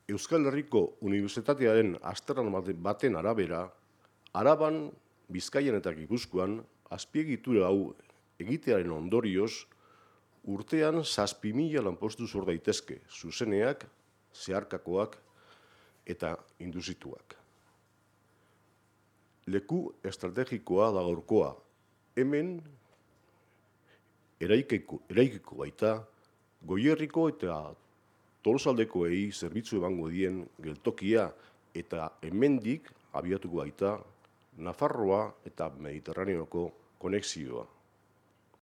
Euskal Herriko Unibertsitatearen azterlan baten arabera, Araban, Bizkaian eta Gipuzkoan, azpiegitura hau egitearen ondorioz, urtean 7.000 lanpostu sor daitezke, zuzeneak, zeharkakoak eta indusituak. Leku estrategikoa da gaurkoa, hemen eraikiko baita, Goierriko eta Tolosaldekoei zerbitzu emango dien geltokia eta hemendik abiatuko baita Nafarroa eta Mediterraneoko konexioa.